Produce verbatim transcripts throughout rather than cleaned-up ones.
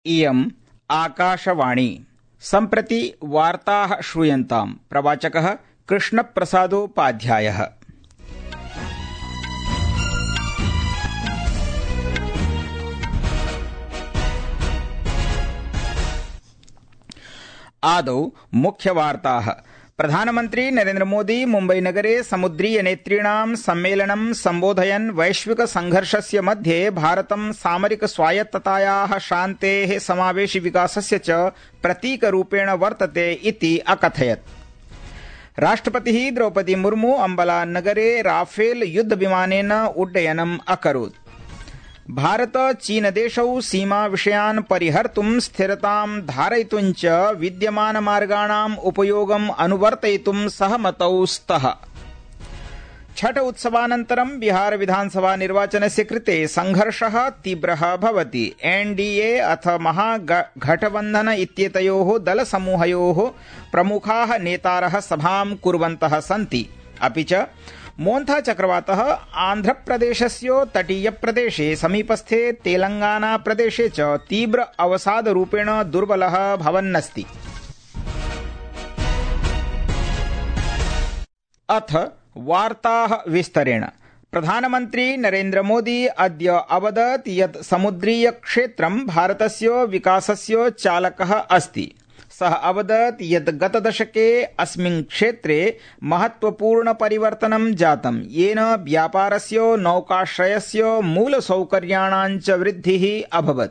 इयम् आकाशवाणी। सम्प्रति वार्ताः श्रूयन्ताम्। प्रवाचकः कृष्णप्रसादोपाध्यायः। आदौ मुख्यवार्ताः। प्रधानमन्त्री नरेन्द्र मोदी मुम्बईनगरे समुद्रीयनेतॄणां सम्मेलनं सम्बोधयन् वैश्विक संघर्षस्य मध्ये भारतं सामरिक स्वायत्ततायाः, शान्तेः, समावेशि विकासस्य च प्रतीकरूपेण वर्तते इति अकथयत्। राष्ट्रपतिः द्रौपदी मुर्मू अम्बला नगरे राफेल युद्धविमानेन उड्डयनम् अकरोत्। भारत चीन देशौ सीमा विषयान् परिहर्तुं स्थिरतां धारयितुं च विद्यमानमार्गाणाम् उपयोगम् अनुवर्तयितुं सहमतौ स्तः। छठ उत्सवानन्तरं बिहार विधानसभा निर्वाचनस्य कृते संघर्षः तीव्रः भवति। एनडीए अथ महागठबन्धन इत्येतयोः दलसमूहयोः प्रमुखाः नेतारः सभां कुर्वन्तः सन्ति। अपि च मोन्था चक्रवातः आन्ध्रप्रदेशस्य तटीयप्रदेशे, समीपस्थे तेलंगानाप्रदेशे च तीव्र अवसादरूपेण दुर्बलः भवन्नस्ति। अथ वार्ताः विस्तरेण। प्रधानमन्त्री नरेन्द्र मोदी अद्य अवदत् यत् समुद्रीयक्षेत्रं भारतस्य विकासस्य चालकः अस्ति। सः अवदत् यत् गतदशके अस्मिन् क्षेत्रे महत्वपूर्ण परिवर्तनं जातं, येन व्यापारस्य, नौकाश्रयस्य, मूलसौकर्याणां च वृद्धिः अभवत्।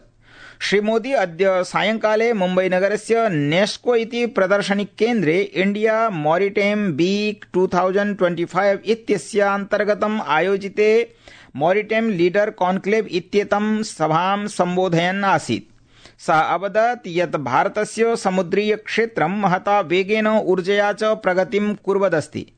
श्रीमोदी अद्य सायंकाले मुम्बईनगरस्य नेस्को इति प्रदर्शनिकेन्द्रे India maritime week two thousand twenty five इत्यस्यान्तर्गतम् आयोजिते मॉरिटाइम लीडर कॉन्क्लेव इत्येतं सभां सम्बोधयन् आसीत्। सः अवदत् यत् भारतस्य समुद्रीय क्षेत्रं महता वेगेन ऊर्जया च प्रगतिं कुर्वदस्ति।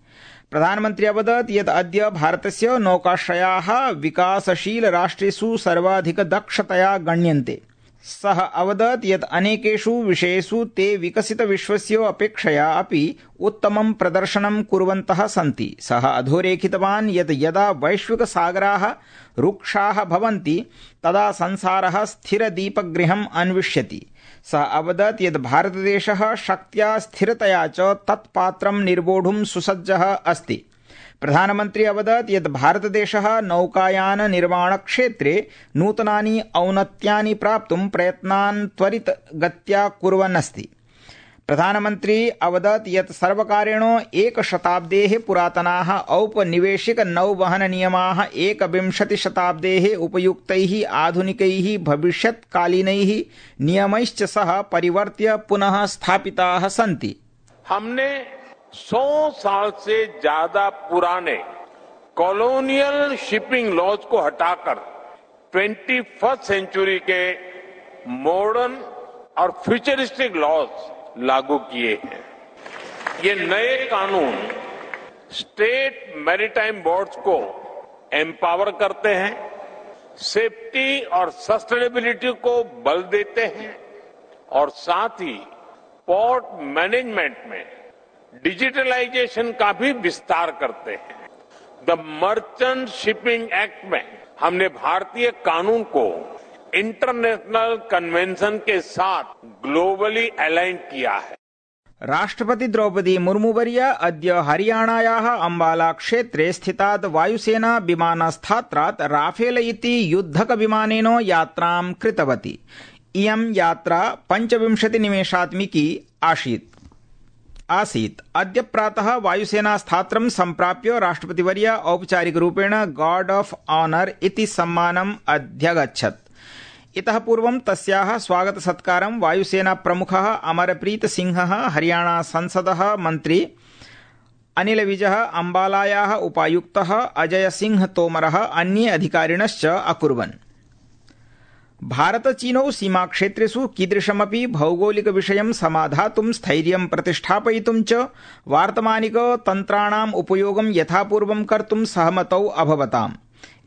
प्रधानमन्त्री अवदत् यत् अद्य भारतस्य नौकाश्रयाः विकासशील राष्ट्रेषु सर्वाधिकदक्षतया गण्यन्ते। सः अवदत् यत् अनेकेषु विषयेषु ते विकसित विश्वस्य अपेक्षया अपि उत्तमं प्रदर्शनं कुर्वन्तः सन्ति। सः अधोरेखितवान् यत् यदा वैश्विकसागराः रुक्षाः भवन्ति तदा संसारः स्थिरदीपगृहम् अन्विष्यति। सः अवदत् यत् भारतदेशः शक्त्या, स्थिरतया च तत्पात्रं निर्वोढुं सुसज्जः अस्ति। प्रधानमन्त्री अवदत् यत् भारतदेशः नौकायान निर्माणक्षेत्रे नूतनानि औन्नत्यानि प्राप्तुं प्रयत्नान् त्वरितगत्या कुर्वन् अस्ति। प्रधानमन्त्री अवदत् यत् सर्वकारेण एकशताब्देः पुरातनाः औपनिवेशिक नौवहननियमाः एकविंशतिशताब्देः उपयुक्तैः आधुनिकैः भविष्यत्कालीनैः नियमैश्च सह परिवर्त्य पुनः स्थापिताः सन्ति। हमने सौ साल से ज्यादा पुराने कॉलोनियल शिपिंग लॉज को हटाकर ट्वेंटी फर्स्ट सेंचुरी के मॉडर्न और फ्यूचरिस्टिक लॉज लागू किए हैं। ये नए कानून स्टेट मैरीटाइम बोर्ड्स को एम्पावर करते हैं, सेफ्टी और सस्टेनेबिलिटी को बल देते हैं और साथ ही पोर्ट मैनेजमेंट में डिजिटलाइजेशन का भी विस्तार करते हैं। द मर्चेंट शिपिंग एक्ट में हमने भारतीय कानून को इंटरनेशनल कन्वेंशन के साथ ग्लोबली अलाइन किया है। राष्ट्रपति द्रौपदी मुर्मुवर्या अद्य हरियाणायाः अम्बाला क्षेत्रे स्थितात् वायुसेना विमानस्थात्रात् राफेल इति युद्धकविमानेन यात्रां कृतवती। इयं यात्रा पञ्चविंशतिनिमेषात्मिकी आसीत् आसीत् अद्य प्रातः वायुसेनास्थात्रं सम्प्राप्य राष्ट्रपतिवर्य औपचारिकरूपेण गार्ड ऑफ ऑनर इति सम्मानम् अध्यगच्छत्। इतः पूर्वं तस्याः स्वागतसत्कारं वायुसेना प्रमुखः अमरप्रीत सिंहः, हरियाणा संसदः मन्त्री अनिल विजः, अम्बालायाः उपायुक्तः अजय सिंह तोमरः, अन्ये अधिकारिणश्च अकुर्वन्। भारत चीनौ सीमाक्षेत्रेषु कीदृशमपि भौगोलिकविषयं समाधातुं, स्थैर्यं प्रतिष्ठापयितुं च वार्तमानिक तन्त्राणाम् उपयोगं यथापूर्वं कर्तुं सहमतौ अभवताम्।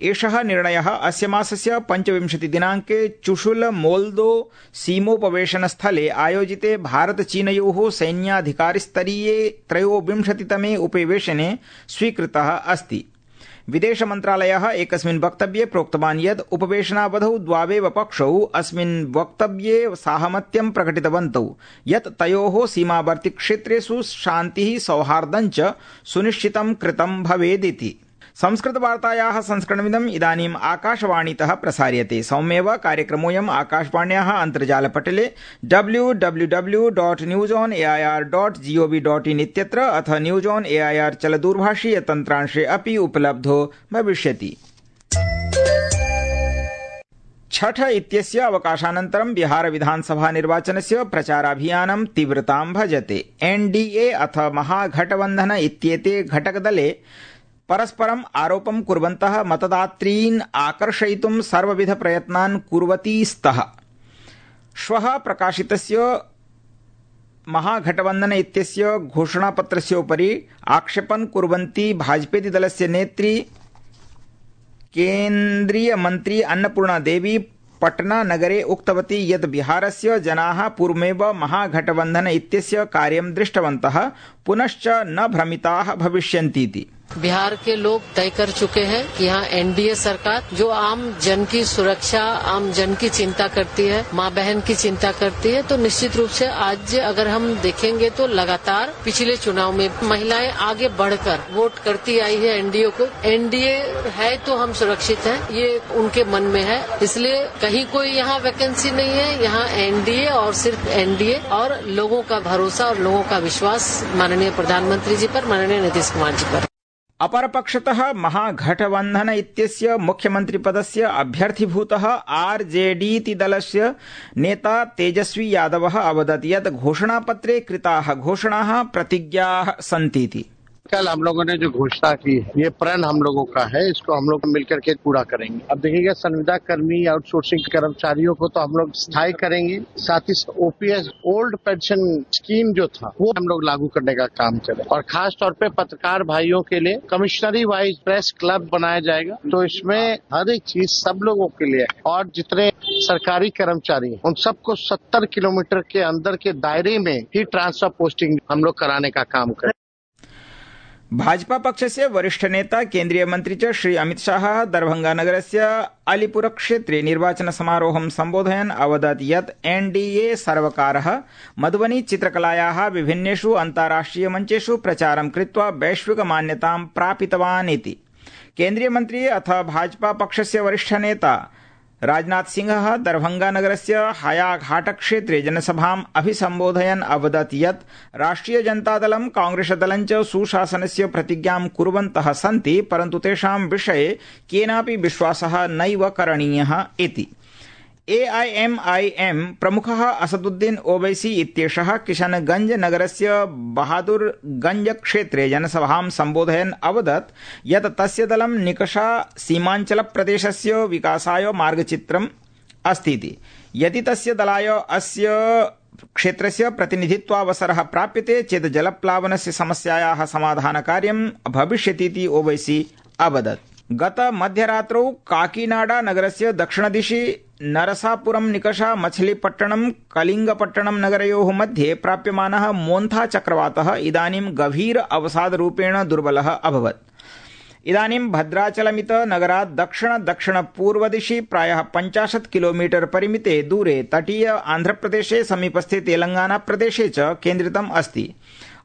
एषः निर्णयः अस्य मासस्य पञ्चविंशति दिनाङ्के चुशुल मोल्दो सीमोपवेशनस्थले आयोजिते भारत चीनयोः सैन्याधिकारिस्तरीये त्रयोविंशतितमे उपवेशने स्वीकृतः अस्ति। विदेश मन्त्रालयः एकस्मिन् वक्तव्ये प्रोक्तवान् यत् उपवेशनावधौ द्वावेव पक्षौ अस्मिन् वक्तव्ये साहमत्यं प्रकटितवन्तौ यत् तयोः सीमावर्ति क्षेत्रेषु शान्तिः सौहार्दञ्च सुनिश्चितं कृतं भवेदिति। संस्कृतवार्तायाः संस्करणमिदम् इदानीम् आकाशवाणीतः प्रसार्यते। सौम्येव कार्यक्रमोऽयम् आकाशवाण्याः अन्तर्जालपटले W W W dot news on A I R dot G O V dot in इत्यत्र अथ न्यूज ऑन एआईआर चलदूरभाषीय तन्त्रांशे अपि उपलब्धो भविष्यति। छठ इत्यस्य अवकाशानन्तरं बिहार विधानसभा निर्वाचनस्य प्रचाराभियानं तीव्रतां भजते। एनडीए अथ महागठबन्धन इत्येते घटकदले परस्परम् आरोपं कुर्वन्तः मतदातॄन् आकर्षयितुं सर्वविध प्रयत्नान् कुर्वती स्तः। श्वः प्रकाशितस्य महागठबन्धन इत्यस्य घोषणापत्रस्य उपरि आक्षेपं कुर्वन्ती भाजपेति दलस्य नेत्री केन्द्रीय मन्त्री अन्नपूर्णा देवी पटना नगरे उक्तवती यत् बिहारस्य जनाः पूर्वमेव महागठबन्धन इत्यस्य कार्यं दृष्टवन्तः पुनश्च न भ्रमिताः भविष्यन्तीति। बिहार के लोग तय कर चुके हैं कि यहाँ एनडीए सरकार जो आम जन की सुरक्षा, आम जन की चिंता करती है, माँ बहन की चिंता करती है, तो निश्चित रूप से आज अगर हम देखेंगे तो लगातार पिछले चुनाव में महिलाएं आगे बढ़कर वोट करती आई है एनडीए को। एनडीए है तो हम सुरक्षित हैं, ये उनके मन में है। इसलिए कहीं कोई यहाँ वैकेंसी नहीं है, यहाँ एनडीए और सिर्फ एनडीए और लोगों का भरोसा और लोगों का विश्वास माननीय प्रधानमंत्री जी पर, माननीय नीतीश कुमार जी पर। अपरपक्षतः महागठबन्धन इत्यस्य मुख्यमन्त्रिपदस्य अभ्यर्थीभूतः आरजेडीति दलस्य नेता तेजस्वी यादवः अवदत् यत् घोषणापत्रे कृताः घोषणाः प्रतिज्ञाः सन्तीति। कल हम लोगों ने जो घोषणा की है ये प्रण हम लोगों का है, इसको हम लोग मिलकर के पूरा करेंगे। अब देखिएगा संविदा कर्मी, आउटसोर्सिंग कर्मचारियों को तो हम लोग स्थायी करेंगे, साथ ही ओपीएस ओल्ड पेंशन स्कीम जो था वो हम लोग लागू करने का काम करें और खास तौर पे पत्रकार भाइयों के लिए कमिश्नरी वाइज प्रेस क्लब बनाया जाएगा। तो इसमें हर एक चीज सब लोगों के लिए है और जितने सरकारी कर्मचारी हैं उन सबको सत्तर किलोमीटर के अंदर के दायरे में ही ट्रांसफर पोस्टिंग हम लोग कराने का काम करें। भाजपा पक्षस्य वरिष्ठ नेता केन्द्रीय मन्त्री च श्री अमित शाह दरभंगानगरस्य अलीपुर क्षेत्रे निर्वाचन समारोहं सम्बोधयन् अवदत् यत् एनडीए सर्वकारः मधुबनी चित्रकलायाः विभिन्नेषु अन्ताराष्ट्रिय मञ्चेषु प्रचारं कृत्वा वैश्विक मान्यतां प्रापितवान् इति। केन्द्रीय मन्त्री अथ भाजपा पक्षस्य वरिष्ठ नेता राजनाथ सिंहः दरभंगानगरस्य हायाघाट क्षेत्रे जनसभाम् अभिसम्बोधयन् अवदत् यत् राष्ट्रिय जनतादलं कांग्रेसदलं च सुशासनस्य प्रतिज्ञां कुर्वन्तः सन्ति, परन्तु तेषां विषये केनापि विश्वासः नैव करणीयः इति। एआईएमआईएम प्रमुखः असदुद्दीन ओवैसी इत्येषः किशनगंज नगरस्य बहादुरगंज क्षेत्रे जनसभां सम्बोधयन् अवदत् यत् तस्य दलं निकषा सीमाञ्चलप्रदेशस्य विकासाय मार्गचित्रम् अस्तीति। यदि तस्य दलाय अस्य क्षेत्रस्य प्रतिनिधित्वावसरः प्राप्यते चेत् जलप्लावनस्य समस्यायाः समाधानकार्यं भविष्यतीति ओवैसी अवदत्। गत मध्यरात्रौ काकीनाडा नगरस्य दक्षिणदिशि नरसापुरम निकषा मछलीपट्टणम कलिंगपट्टणम नगरयोः मध्ये प्राप्यमानः मोन्था चक्रवातः इदानीं गभीर अवसादरूपेण दुर्बलः अभवत्। इदानीं भद्राचलमित नगरात् दक्षिण दक्षिण पूर्वदिशि प्रायः पञ्चाशत् किलोमीटर परिमिते दूरे तटीय आन्ध्रप्रदेशे समीपस्थे तेलंगाना प्रदेशे च केन्द्रितम् अस्ति।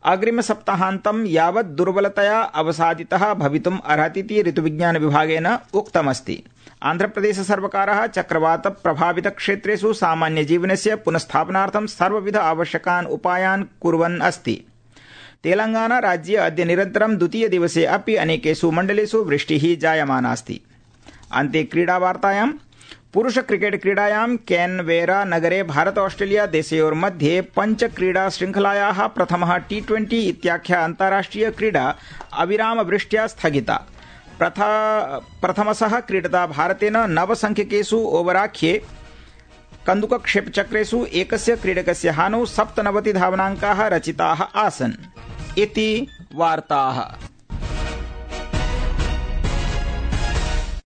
अग्रिम सप्ताहान्तं यावत् दुर्बलतया अवसादितः भवितुम् अर्हतीति ऋतुविज्ञान विभागेन उक्तमस्ति। आन्ध्रप्रदेश सर्वकारः चक्रवात प्रभावित क्षेत्रेषु सामान्य जीवनस्य पुनस्थापनार्थं सर्वविध आवश्यकान् उपायान् कुर्वन् अस्ति। तेलंगाना राज्ये अद्य निरन्तरं द्वितीय दिवसे अपि अनेकेषु मण्डलेषु वृष्टिः जायमानास्ति। अन्ते क्रीडावार्तायां पुरुष क्रिकेट क्रीडायां कैनवेरा नगरे भारत ऑस्ट्रेलिया देशयोर्मध्ये पंच क्रीडा श्रृंखलायाः प्रथमः टी ट्वेंटी इत्याख्या अन्ताराष्ट्रिय क्रीडा अविराम वृष्ट्या स्थगिता। प्रथमशः क्रीडता भारतेन नवसंख्यकेषु ओवराख्ये कन्दुकक्षेपचक्रेषु एकस्य क्रीडकस्य हानौ सप्तनवति धावनाङ्काः रचिताः आसन् इति वार्ताः।